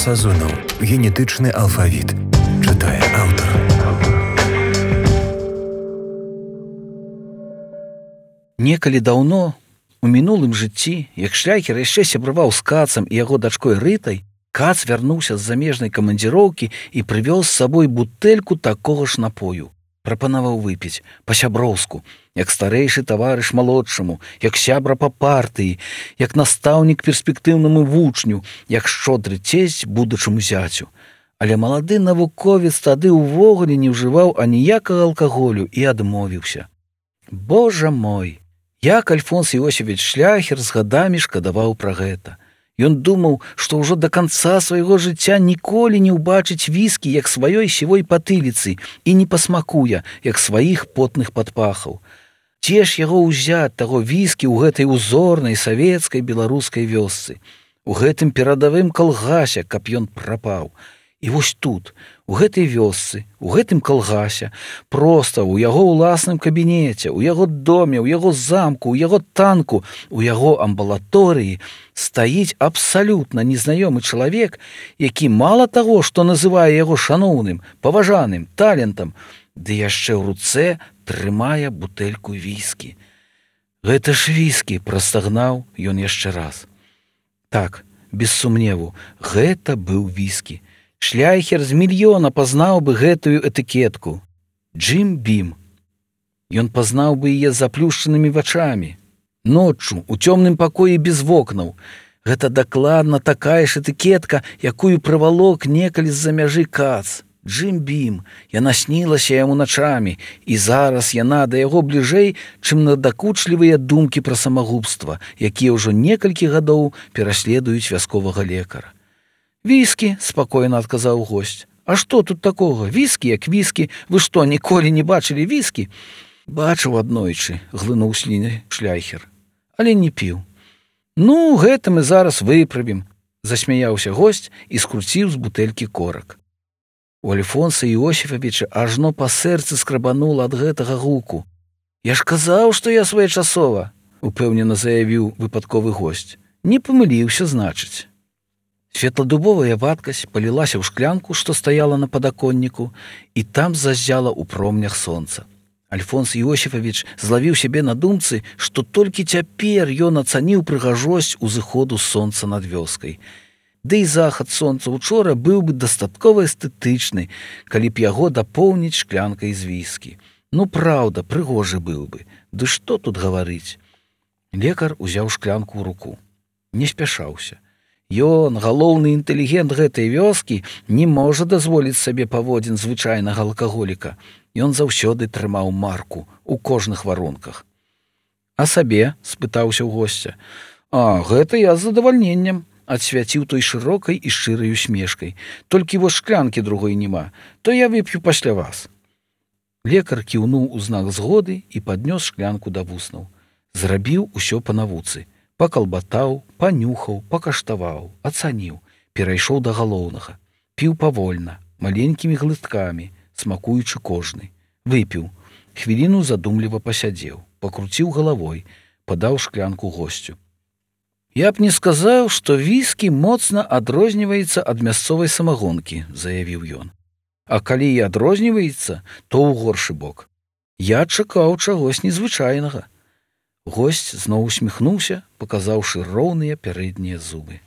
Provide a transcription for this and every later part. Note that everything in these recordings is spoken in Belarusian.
Сазонаў. Генетычны алфавіт. Чытае аўтар. Некалі даўно, у мінулым жыцці, як Шляхер яшчэ сябраваў з Кацам і яго дачкой Рытай, Кац вярнуўся з замежнай камандзіроўкі і прывёз з сабой бутэльку такога ж напою. Прапанаваў выпіць па-сяброўску, як старэйшы таварыш малодшаму, як сябра па партыі, як настаўнік перспектыўнаму вучню, як шчодры цесць будучаму зяцю. Але малады навуковец тады ўвогуле не ўжываў аніякага алкаголю і адмовіўся. Божа мой! Як Альфонс Іосіфавіч Шляхер з гадамі шкадаваў пра гэта. Ён думаў, што ўжо да канца свайго жыцця ніколі не ўбачыць віскі, як сваёй сівой патыліцы, і не пасмакуе, як сваіх потных падпахаў. Дзе ж яго ўзяць, таго віскі, ў гэтай узорнай савецкай беларускай вёсцы, у гэтым перадавым калгасе, каб ён прапаў. І вось тут, у гэтай вёсцы, у гэтым калгасе, проста ў яго ўласным кабінеце, у яго доме, у яго замку, у яго танку, у яго амбулаторыі стаіць абсалютна незнаёмы чалавек, які мала таго, што называе яго шаноўным, паважаным, талентам, ды яшчэ ў руцэ трымае бутэльку віскі. Гэта ж віскі, прастагнаў ён яшчэ раз. Так, без сумневу, гэта быў віскі. Шляхер з мільёна пазнаў бы гэтую этыкетку. Джим Бім. Ён пазнаў бы яе заплюшчанымі вачамі. Ноччу, у цёмным пакоі без вокнаў. Гэта дакладна такая ж этыкетка, якую прывалок некалі з-за мяжы Кац. Джим Бім. Яна снілася яму начамі, і зараз яна да яго бліжэй, чым надакучлівыя думкі пра самагубства, якія ўжо некалькі гадоў пераследуюць вясковага лекара. «Віскі», – спакойна адказаў госць. «А што тут такога? Віскі як віскі. Вы што, ніколі не бачылі віскі?» «Бачыў аднойчы», – глынуў сліны Шляхер. «Але не піў». «Ну, гэта мы зараз выправім», – засмяяўся госць і скруціў з бутэлькі корак. У Альфонса Іосіфавіча ажно па сэрцы скрабанула ад гэтага гуку. «Я ж казаў, што я своечасова», – упэўнена заявіў выпадковы госць. «Не памыліўся, значыць». Светладубовая вадкасць палілася ў шклянку, што стаяла на падаконніку, і там заззяла ў промнях сонца. Альфонс Іосіфавіч злавіў сябе на думцы, што толькі цяпер ён ацаніў прыгажосць узыходу сонца над вёскай. Ды і захад сонца учора быў бы дастаткова эстэтычны, калі б яго дапоўніць шклянкай з віскі. Ну, праўда, прыгожы быў бы. Ды што тут гаварыць? Лекар узяў шклянку ў руку. Не спяшаўся. Ён, галоўны інтэлігент гэтай вёскі, не можа дазволіць сабе паводзін звычайнага алкаголіка. Ён заўсёды трымаў марку ў кожных варунках. «А сабе?» – спытаўся ў госця. «А, гэта я з задавальненнем», – адсвяціў той шырокай і шчырай усмешкай. «Толькі вось шклянкі другой няма, то я вып'ю пасля вас». Лекар кіўнуў у знак згоды і паднёс шклянку да вуснаў. Зрабіў усё па навуцы. Пакалбатаў, панюхаў, пакаштаваў, ацаніў, перайшоў да галоўнага. Піў павольна, маленькімі глыткамі, смакуючы кожны. Выпіў. Хвіліну задумліва пасядзеў, пакруціў галавой, падаў шклянку госцю. «Я б не сказаў, што віскі моцна адрозніваецца ад мясцовай самагонкі», – заявіў ён. «А калі і адрозніваецца, то ў горшы бок. Я чакаў чагось незвычайнага». Госць зноў усміхнуўся, паказаўшы роўныя пярэднія зубы.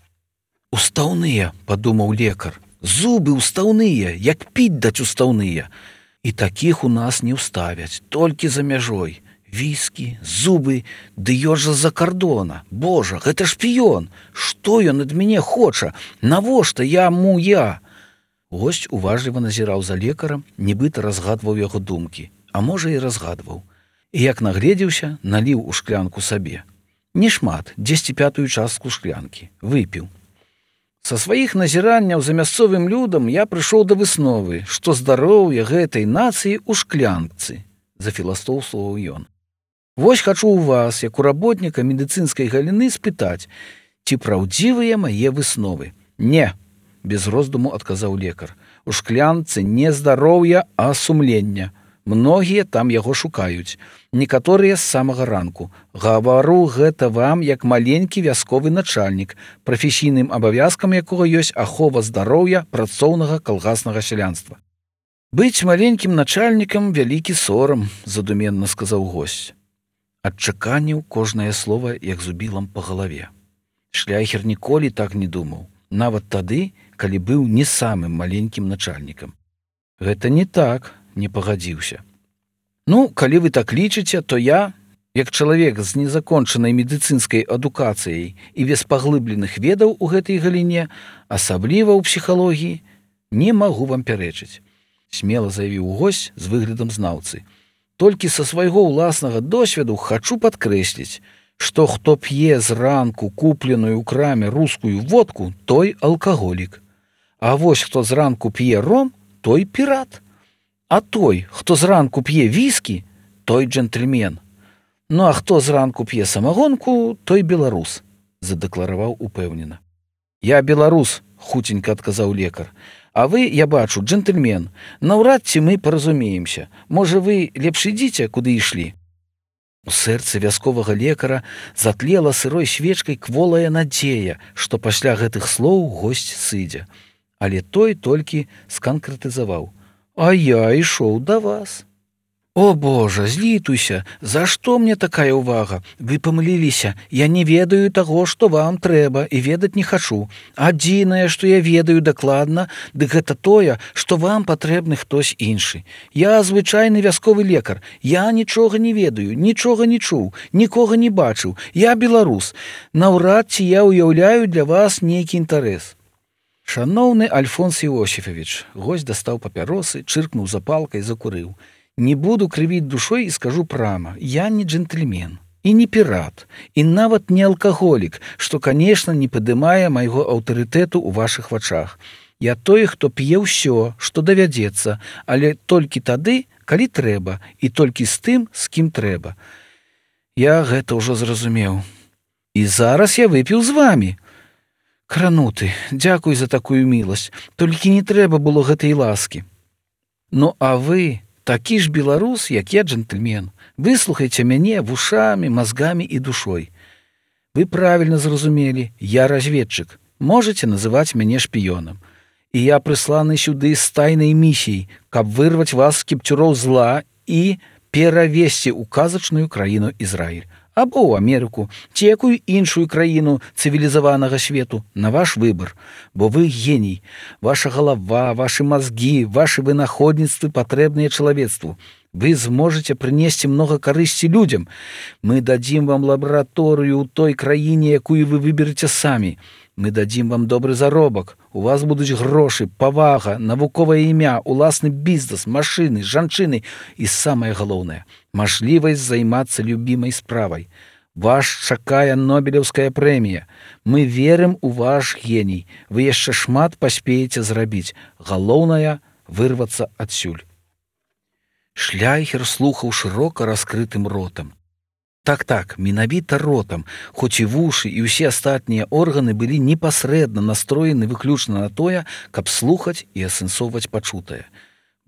«Устаўныя», – падумаў лекар. «Зубы устаўныя, як піць даць устаўныя. І такіх у нас не ўставяць, толькі за мяжой. Віскі, зубы, ды ён жа з-за кардона. Божа, гэта шпіён. Што ён ад мяне хоча? Навошта яму я?» Госць уважліва назіраў за лекарам, нібыта разгадваў яго думкі, а можа і разгадваў. І як нагледзеўся, наліў у шклянку сабе. Не шмат, 10/5 частку шклянкі. Выпіў. Са сваіх назіранняў за мясцовым людам я прыйшоў да высновы, што здароўе гэтай нацыі ў шклянцы, зафіластоўстваваў ён. Вось хачу ў вас, як у работніка медыцынскай галіны, спытаць, ці праўдзівыя мае высновы. Не, без роздуму адказаў лекар. У шклянцы не здароўя, а сумлення. Многія там яго шукаюць. Некаторыя з самага ранку. Гавару гэта вам як маленькі вясковы начальнік, прафесійным абавязкам якога ёсць ахова здароўя працоўнага калгаснага сялянства. Быць маленькім начальнікам вялікі сорам, задуменна сказаў госць. Адчаканіў кожнае слова, як зубілам па галаве. Шляхер ніколі так не думаў, нават тады, калі быў не самым маленькім начальнікам. Гэта не так, не пагадзіўся. Ну, калі вы так лічыце, то я, як чалавек з незакончанай медыцынскай адукацыяй і без паглыбленых ведаў у гэтай галіне, асабліва ў псіхалогіі, не магу вам пярэчыць. Смела заявіў госць з выглядам знаўцы. Толькі са свайго ўласнага досведу хачу падкрэсліць, што хто п'е зранку купленую ў краме рускую водку, той алкаголік. А вось хто зранку п'е ром, той пірат. А той, хто зранку п'е віскі, той джентльмен. Ну а хто зранку п'е самагонку, той беларус, задэклараваў упэўнена. Я беларус, хуценька адказаў лекар. А вы, я бачу, джентльмен. Наўрад ці мы паразумеемся. Можа, вы лепш ідзіце, куды ішлі. У сэрцы вясковага лекара затлела сырой свечкай кволая надзея, што пасля гэтых слоў госць сыдзе. Але той толькі сканкрэтызаваў. А я ішоў да вас. О, Божа, злітуйся, за што мне такая ўвага? Вы памыліліся, я не ведаю таго, што вам трэба, і ведаць не хачу. Адзінае, што я ведаю дакладна, дык гэта тое, што вам патрэбны хтось іншы. Я звычайны вясковы лекар, я нічога не ведаю, нічога не чуў, нікога не бачыў, я беларус. Наўрад ці я ўяўляю для вас нейкі інтарэс. Шаноўны Альфонс Іосіфавіч, госць дастаў папяросы, чыркнуў запалкай, закурыў. Не буду крывіць душой і скажу прама, я не джентльмен і не пірат, і нават не алкаголік, што, канешне, не падымае майго аўтарытэту ў вашых вачах. Я той, хто п'е ўсё, што давядзецца, але толькі тады, калі трэба, і толькі з тым, з кім трэба. Я гэта ўжо зразумеў. І зараз я выпіў з вамі. Крануты, дзякуй за такую міласць, толькі не трэба было гэтай ласкі. Ну, а вы... Такі ж беларус, як я джентльмен. Выслухайце мяне вушамі, мазгамі і душой. Вы правільна зразумелі, я разведчык. Можаце называць мяне шпіёнам. І я прысланы сюды з тайнай місіяй, каб вырваць вас з кіпцюроў зла і перавесці ў казачную краіну Ізраіль. Або ў Амерыку, ці якую іншую краіну цывілізаванага свету, на ваш выбар. Бо вы геній. Ваша галава, вашы мазгі, вашы вынаходніцтвы патрэбныя чалавецтву. Вы зможаце прынесці многа карысці людзям. Мы дадзім вам лабараторыю ў той краіне, якую вы выбераце самі. Мы дадзім вам добры заробак. У вас будуць грошы, павага, навуковае імя, уласны бізнес, машыны, жанчыны і самае галоўнае – мажлівасць займацца любімай справай. Вас чакае Нобелеўская прэмія. Мы верым у ваш геній. Вы яшчэ шмат паспееце зрабіць. Галоўнае – вырвацца адсюль. Шляхер слухаў шырока раскрытым ротам. Так, менавіта ротам, хоць і вушы і ўсе астатнія органы былі непасрэдна настроены выключна на тое, каб слухаць і асэнсоўваць пачутае.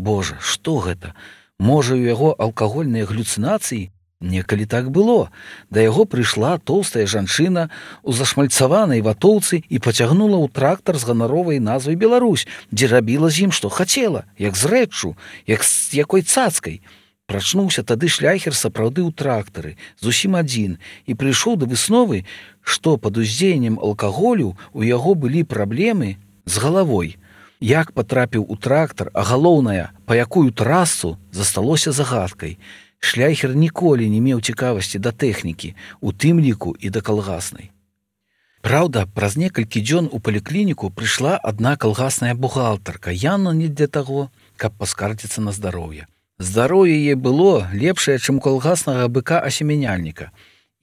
Божа, што гэта? Можа, у яго алкагольныя галюцынацыі? Некалі так было. Да яго прыйшла тоўстая жанчына у зашмальцаванай ватоўцы і пацягнула ў трактар з ганаровай назвай Беларусь, дзе рабіла з ім, што хацела, як з рэччу, як з якой цацкай. Прачнуўся тады шляхер сапраўды ў трактары, зусім адзін, і прыйшоў да высновы, што пад уздзеяннем алкаголю у яго былі праблемы з галавой. Як патрапіў у трактар, а галоўнае, па якую трасу, засталося загадкай. Шляхер ніколі не меў цікавасці да тэхнікі, у тым ліку і да калгаснай. Праўда, праз некалькі дзён у паліклініку прыйшла адна калгасная бухгалтарка, явно не для таго, каб паскардзіцца на здароўе. Здароўе яе было лепшае, чым у калгаснага быка-асемяняльніка.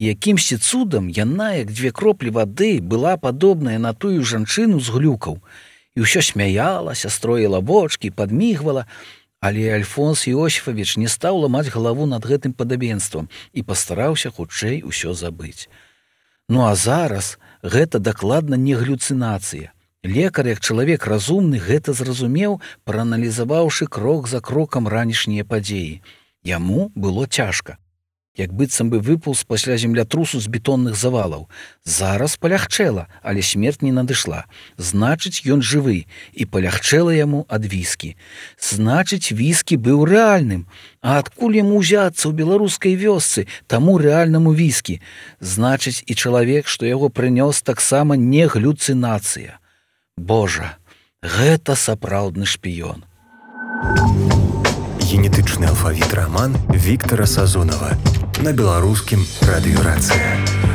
І якімсьці цудам яна, як 2 кроплі вады, была падобная на тую жанчыну з глюкаў. І ўсё смяялася, строіла вочкі, падмігвала. Але Альфонс Іосіфавіч не стаў ламаць галаву над гэтым падабенствам і пастараўся хутчэй усё забыць. Ну а зараз гэта дакладна не галюцынацыя. Лекар, як чалавек разумны, гэта зразумеў, прааналізаваўшы крок за крокам ранішнія падзеі. Яму было цяжка. Як быццам бы выпаўз пасля землятрусу з бетонных завалаў. Зараз палягчэла, але смерць не надышла. Значыць, ён жывы, і палягчэла яму ад віскі. Значыць, віскі быў рэальным. А адкуль яму ўзяцца ў беларускай вёсцы таму рэальнаму віскі? Значыць, і чалавек, што яго прынёс, таксама не галюцынацыя. Божа, гэта сапраўдны шпіён. Генетычны алфавіт раман Віктара Сазонава на беларускім радыёрацыя.